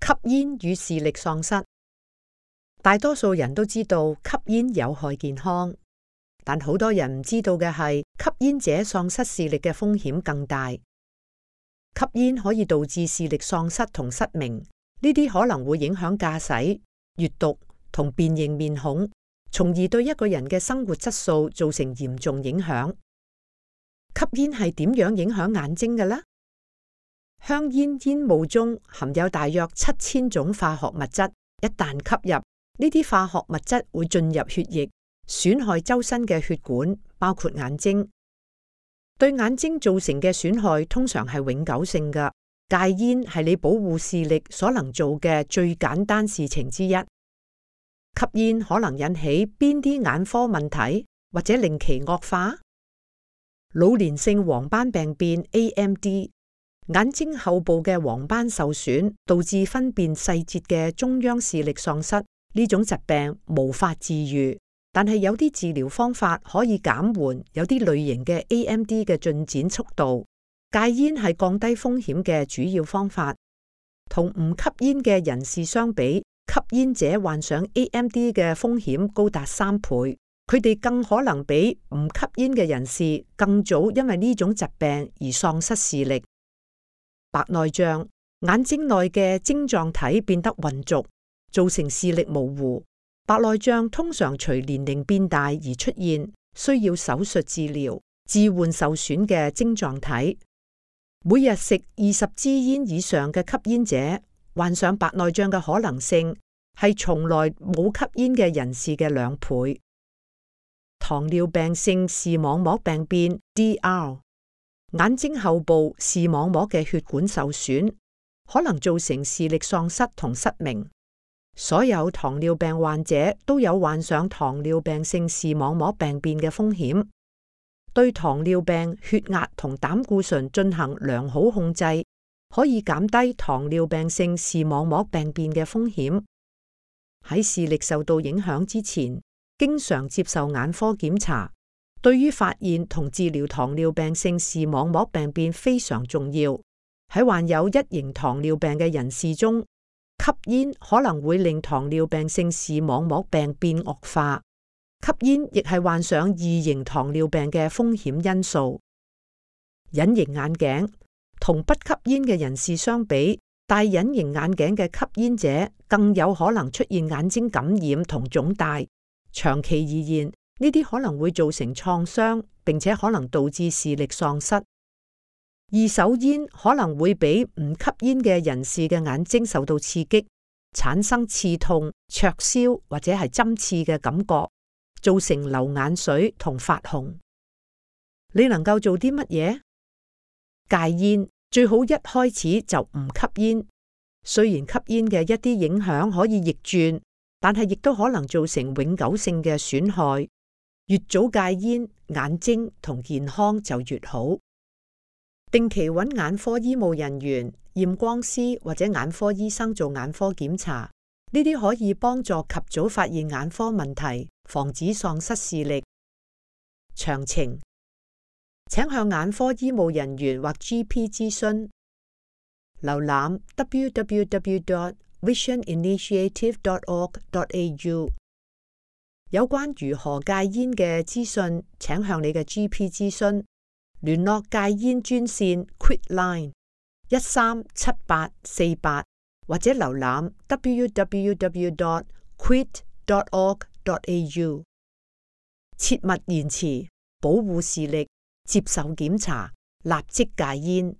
吸煙與視力喪失。大多數人都知道吸煙有害健康，但好多人唔知道嘅係，吸煙者喪失視力嘅風險更大。吸煙可以導致視力喪失同失明，呢啲可能會影響駕駛、閱讀同辨認面孔，從而對一個人嘅生活質素造成嚴重影響。吸煙係點樣影響眼睛嘅呢？香煙煙霧中含有大約7000種化學物質，一旦吸入，呢啲化學物質會進入血液，損害周身嘅血管，包括眼睛。對眼睛造成嘅損害通常係永久性嘅。戒煙係你保護視力所能做嘅最簡單事情之一。吸煙可能引起邊啲眼科問題，或者令其惡化？老年性黃斑病變 AMD， 眼睛後部嘅黃斑受損，導致分辨細節嘅中央視力喪失。呢種疾病無法治癒，但係有啲治療方法可以減緩有啲類型嘅 AMD 嘅進展速度。戒煙係降低風險嘅主要方法。同唔吸煙嘅人士相比，吸煙者患上 AMD 嘅風險高達3倍。佢哋更可能比唔吸煙嘅人士更早因為呢種疾病而喪失視力。白內障，眼睛內嘅晶狀體變得渾濁，造成視力模糊。白內障通常隨年齡變大而出現，需要手術治療，置換受損嘅晶狀體。每日食20支煙以上嘅吸煙者，患上白內障嘅可能性係從來冇吸煙嘅人士嘅2倍。糖尿病性視網膜病變 DR， 眼睛後部視網膜嘅血管受損，可能造成視力喪失同失明。所有糖尿病患者都有患上糖尿病性視網膜病變嘅風險。對糖尿病、血壓同膽固醇進行良好控制，可以減低糖尿病性視網膜病變嘅風險。喺視力受到影響之前，經常接受眼科檢查，對於發現同治療糖尿病性視網膜病變非常重要。喺患有1型糖尿病嘅人士中，吸煙可能會令糖尿病性視網膜病變惡化。吸煙亦係患上2型糖尿病嘅風險因素。隱形眼鏡，同不吸煙嘅人士相比，戴隱形眼鏡嘅吸煙者更有可能出現眼睛感染同腫大。長期而言，呢啲可能會造成創傷，並且可能導致視力喪失。二手煙可能會俾唔吸煙嘅人士嘅眼睛受到刺激，產生刺痛、灼燒或者係針刺嘅感覺，造成流眼水同發紅。你能夠做啲乜嘢？戒煙，最好一開始就唔吸煙。雖然吸煙嘅一啲影響可以逆轉，但係亦都可能造成永久性嘅損害。越早戒煙，眼睛同健康就越好。定期揾眼科醫務人員、驗光師或者眼科醫生做眼科檢查，呢啲可以幫助及早發現眼科問題，防止喪失視力。詳情請向眼科醫務人員或 GP 諮詢。瀏覽 www.visioninitiative.org.au。 有關如何戒煙嘅資訊，請向你嘅 GP 諮詢。聯絡戒煙專線 Quitline 137848，或者瀏覽 www.quit.org.au。 切勿延遲，保護視力，接受檢查，立即戒煙。